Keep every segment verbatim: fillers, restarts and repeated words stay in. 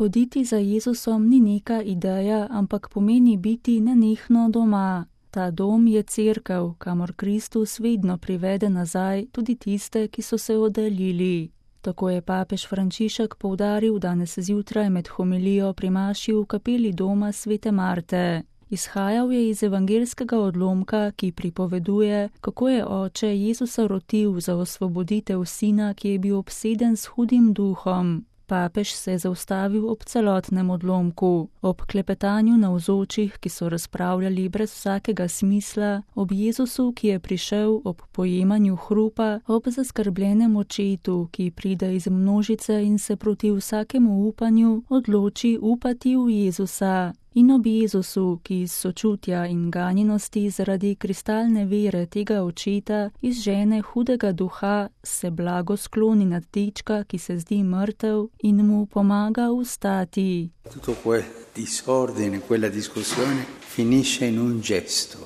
Hoditi za Jezusom ni neka ideja, ampak pomeni biti nenehno doma. Ta dom je cerkev, kamor Kristus vedno privede nazaj tudi tiste, ki so se oddaljili. Tako je papež Frančišek poudaril danes zjutraj med homilijo pri maši v kapeli doma svete Marte. Izhajal je iz evangelskega odlomka, ki pripoveduje, kako je oče Jezusa rotil za osvoboditev sina, ki je bil obseden s hudim duhom. Papež se je zaustavil ob celotnem odlomku, ob klepetanju navzočih, ki so razpravljali brez vsakega smisla, ob Jezusu, ki je prišel, ob pojemanju hrupa, ob zaskrbljenem očetu, ki pride iz množice in se proti vsakemu upanju odloči upati v Jezusa. In ob Jezusu, ki iz sočutja in ganjenosti zaradi kristalne vere tega očeta izžene hudega duha, se blago skloni nad dečka, ki se zdi mrtev, in mu pomaga vstati. Tutto quel disordine, quella discussione finisce in un gesto.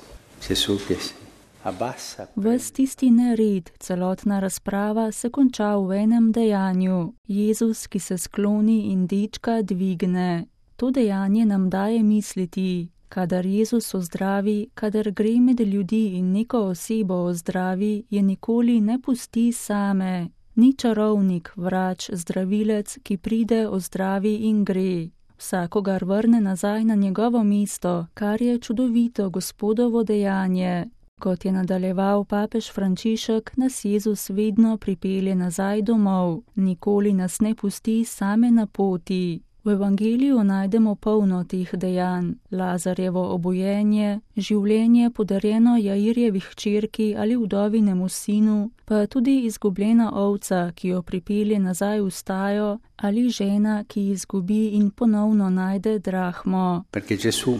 Gesù che si abbassa. Ves tisti nered, celotna razprava se konča v enem dejanju. Jezus, ki se skloni in dečka dvigne. To dejanje nam daje misliti, kadar Jezus ozdravi, kadar gre med ljudi in neko osebo ozdravi, je nikoli ne pusti same. Ni čarovnik, vrač, zdravilec, ki pride, ozdravi in gre. Vsakogar vrne nazaj na njegovo mesto, kar je čudovito Gospodovo dejanje. Kot je nadaljeval papež Frančišek, nas Jezus vedno pripelje nazaj domov, nikoli nas ne pusti same na poti. V evangeliju najdemo polno teh dejanj, Lazarjevo obojenje, življenje podarjeno Jairjevi hčerki ali vdovinemu sinu, pa tudi izgubljena ovca, ki jo pripelje nazaj v stajo, ali žena, ki izgubi in ponovno najde drahmo. Perché Gesù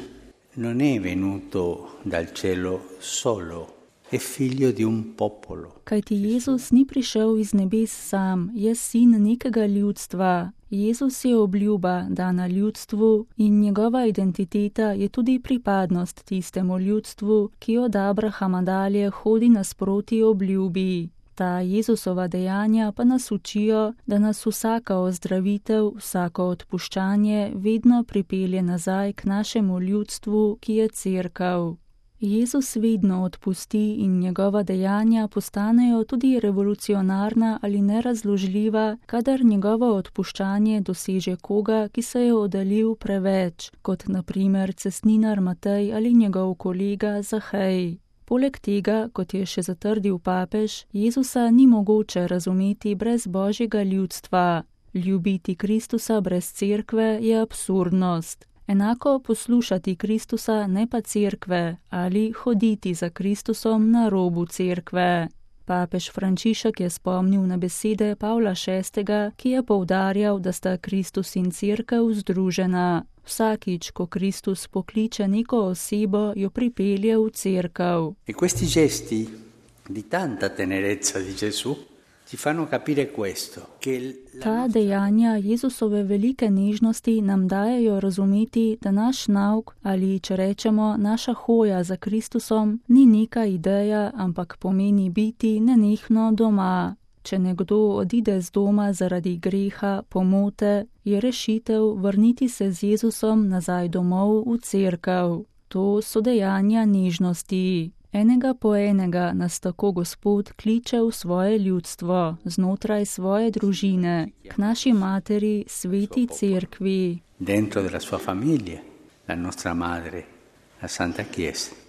non è venuto dal cielo solo. È figlio di un popolo. Kajti Jezus ni prišel iz nebes sam, je sin nekega ljudstva. Jezus je obljuba dana ljudstvu in njegova identiteta je tudi pripadnost tistemu ljudstvu, ki od Abrahama dalje hodi nasproti obljubi. Ta Jezusova dejanja pa nas učijo, da nas vsaka ozdravitev, vsako odpuščanje vedno pripelje nazaj k našemu ljudstvu, ki je cerkev. Jezus vedno odpusti in njegova dejanja postanejo tudi revolucionarna ali nerazložljiva, kadar njegovo odpuščanje doseže koga, ki se je oddaljil preveč, kot na primer cestninar Matej ali njegov kolega Zahej. Poleg tega, kot je še zatrdil papež, Jezusa ni mogoče razumeti brez Božjega ljudstva. Ljubiti Kristusa brez cerkve je absurdnost. Enako poslušati Kristusa, ne pa cerkve, ali hoditi za Kristusom na robu cerkve. Papež Frančišek je spomnil na besede Pavla šestega, ki je poudarjal, da sta Kristus in cerkev združena. Vsakič, ko Kristus pokliče neko osebo, jo pripelje v cerkev. E questi gesti di tanta tenerezza di Gesù ti fanno capire questo, che Ta dejanja Jezusove velike nežnosti nam dajejo razumeti, da naš nauk ali, če rečemo, naša hoja za Kristusom ni neka ideja, ampak pomeni biti nenehno doma. Če nekdo odide z doma zaradi greha, pomote, je rešitev vrniti se z Jezusom nazaj domov v cerkev. To so dejanja nežnosti. Enega po enega nas tako Gospod kliče v svoje ljudstvo, znotraj svoje družine, k naši materi, sveti cerkvi. Dentro della sua famiglia, la nostra madre, la Santa Chiesa.